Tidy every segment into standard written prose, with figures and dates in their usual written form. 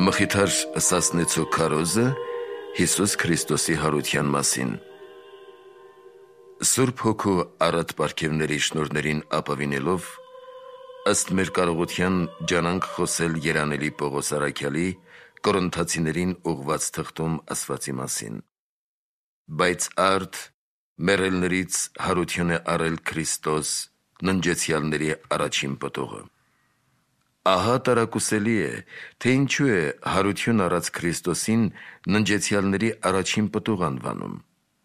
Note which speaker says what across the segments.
Speaker 1: Մխիթար Սասնեցու քարոզը Հիսուս Քրիստոսի հարության մասին։ Սուրբ Հոգու առատ պարգևների շնորհներին ապավինելով, ըստ մեր կարողության ջանանք խոսել երանելի Պողոս առաքյալի Կորինթացիներին ուղված թղթում ասվածի մասին։ Բայց արդ մեռելներից հարություն է առել Քրիստոս, ննջեցյալների առաջին պտուղը։ Ահա տարակուսելի է, թե ինչու է հարություն առած Քրիստոսին ննջեցյալների առաջին պտուղ անվանում,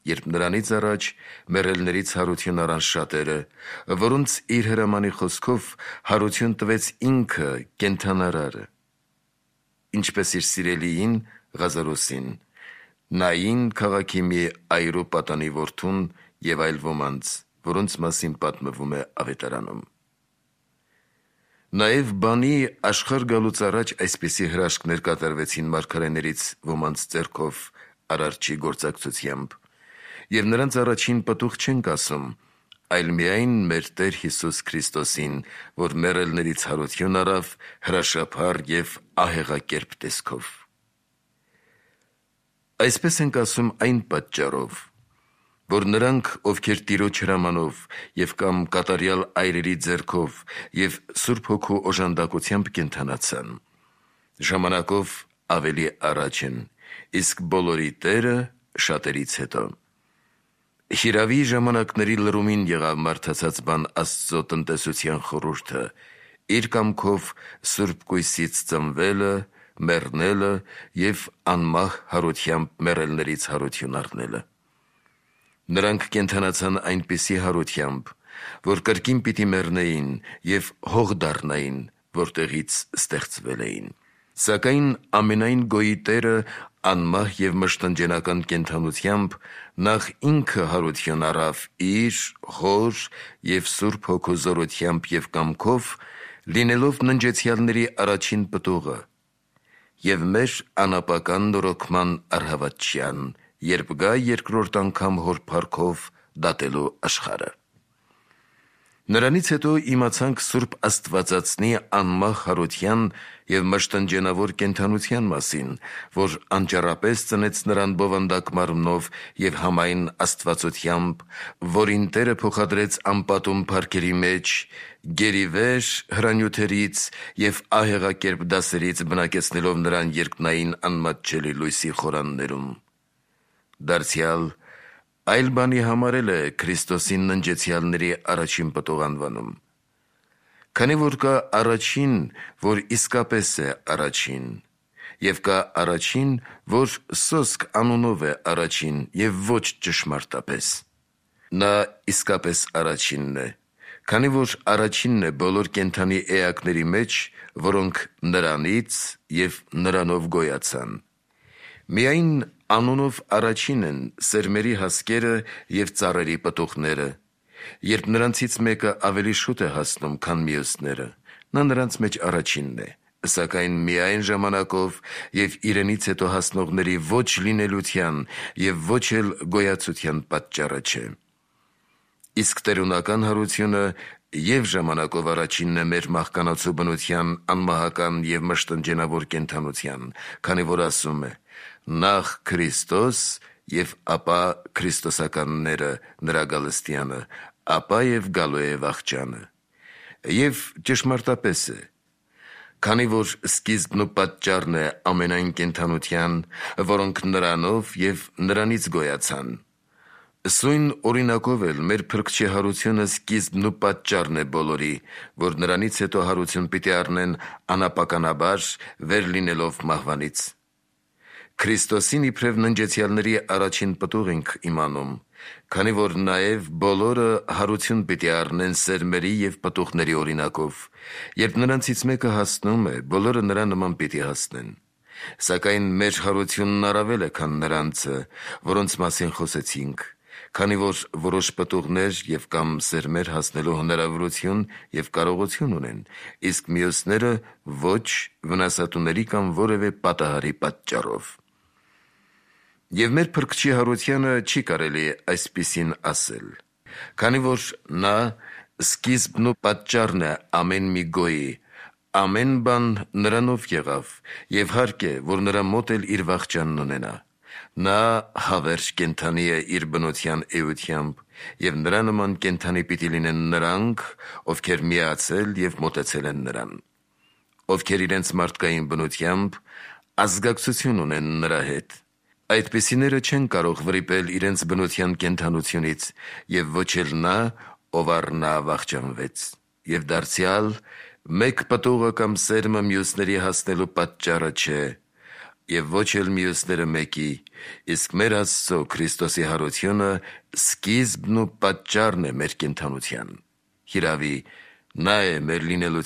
Speaker 1: երբ նրանից առաջ մեռելներից հարություն առան շատերը, որոնց իր հրամանի խոսքով հարություն տվեց ինքը կենդանարարը, ինչպես իր սիրելիին Ղազարոսին, Նային քաղաքի մի այրու պատանի որդուն և այլ ոմանց, որոնց մասին պատմվում է ավետարանում։ Նաև բանի աշխարհ գալուց առաջ այսպիսի հրաշքներ կատարվեցին մարգարեներից ոմանց ձեռքով Արարչի գործակցությամբ, և նրանց առաջին պտուղ չենք ասում, այլ միայն մեր Տեր Հիսուս Քրիստոսին, որ մեռելներից հարություն առավ հրաշափառ և ահեղակերպ տեսքով։ Այսպես ենք ասում այն պատճառով, որ նրանք, ովքեր Տիրոջ հրամանով և կամ կատարյալ այրերի ձեռքով և Սուրբ Հոգու օժանդակությամբ կենդանացան, ժամանակով ավելի առաջ են, իսկ բոլորի Տերը շատերից հետո։ Հիրավի ժամանակների լրումին եղավ մարդացած բան Աստծո տնտեսության խորհուրդը, իր կամքով Սուրբ կույսից ծնվելը, մեռնելը և անմահ հարությամբ մեռելներից հարություն առնելը։ Նրանք կենդանացան այնպիսի հարությամբ, որ կրկին պիտի մեռնեին և հող դառնային, որտեղից ստեղծվել էին։ Սակայն ամենայն գոյի Տերը անմահ և մշտնջենական կենդանությամբ նախ ինքը հարություն առավ իր Հոր և Սուրբ Հոգու զորությամբ և կամքով, լինելով ննջեցյալների առաջին պտուղը և մեր անապական նորոգման առհավատչյան, երբ գա երկրորդ անգամ Հոր փառքով դատելու աշխարհը։ Նրանից հետո իմացանք Սուրբ Աստվածածնի անմահ հարության և մշտնջենավոր կենդանության մասին, որ անճառապես ծնեց նրան բովանդակ մարմնով և համայն աստվածությամբ, որին Տերը փոխադրեց անպատում փառքերի մեջ, գերիվեր հրանյութերից և ահեղակերպ դասերից բնակեցնելով նրան երկնային անմատչելի լույսի խորաններում։ Դարձյալ այլ բանի համար է Քրիստոսին ննջեցյալների առաջին պտուղ անվանում, քանի որ կա առաջին, որ իսկապես է առաջին, և կա առաջին, որ սոսկ անունով է առաջին և ոչ ճշմարտապես։ Նա իսկապես առաջինն է, քանի որ առաջինն է բոլոր կենդանի էակների մեջ, որոնք նրանից և նրանով գոյացան։ Միայն անունով առաջին են սերմերի հասկերը և ծառերի պտուղները։ Երբ նրանցից մեկը ավելի շուտ է հասնում, քան մյուսները, նա նրանց մեջ առաջինն է, սակայն միայն ժամանակով և իրենից հետո հասնողների ոչ լինելության և ոչ էլ գոյացության պատճառը չէ։ Իսկ տերունական հարությունը և ժամանակով առաջինն է մեր մահկանացու բնության անմահական և մշտնջենավոր կենդանության, քանի որ ասում է. «Նախ Քրիստոս և ապա քրիստոսականները նրա գալստյանը, ապա և գալու է վախճանը»։ Եվ ճշմարտապես է, քանի որ սկիզբն ու պատճառն է ամենայն կենդանության, որոնք նրանով և նրանից գոյացան։ Սույն օրինակով էլ մեր Փրկչի հարությունը սկիզբն ու պատճառն է բոլորի, որ նրանից հետո հարություն պիտի առնեն անապականաբար, վեր լինելով մահվանից։ Քրիստոսին իբրև ննջեցյալների առաջին պտուղ ենք իմանում, քանի որ նաև բոլորը հարություն պիտի առնեն սերմերի և պտուղների օրինակով։ Երբ նրանցից մեկը հասնում է, բոլորը նրա նման պիտի հասնեն։ Սակայն մեր հարությունն առավել է, քան նրանցը, որոնց մասին խոսեցինք, քանի որ որոշ պտուղներ և կամ սերմեր հասնելու հնարավորություն և կարողություն ունեն, իսկ մյուսները ոչ վնասատուների կամ որևէ պատահարի պատճառով։ Եվ մեր Փրկչի հարությանը չի կարելի այսպիսին ասել, քանի որ նա սկիզբն ու պատճառն է ամեն մի գոյի, Ամեն բան նրանով եղավ, եւ հարկ է, որ նրա մոտ էլ իր վախճանն ունենա։ Նա հավերժ կենդանի է իր բնության էությամբ, եւ նրա նման կենդանի պիտի լինեն նրանք, ովքեր միացել եւ մոտեցել են նրան, ովքեր իրենց մարդկային բնությամբ ազգակցություն ունեն նրա հետ։ Այդպիսիները չեն կարող վրիպել իրենց բնության կենդանությունից, եւ ոչ էլ նա, ով առ նա վախճանվեց, եւ դարձյալ մեկ պտուղը կամ սերմը մյուսների հասնելու պատճառը չէ, եւ ոչ էլ մյուսները մեկի, իսկ մեր Աստծո Քրիստոսի հարությունը սկիզբն ու պատճառն է մեր կենդանության։ Հիրավի, նա է մեր լինելու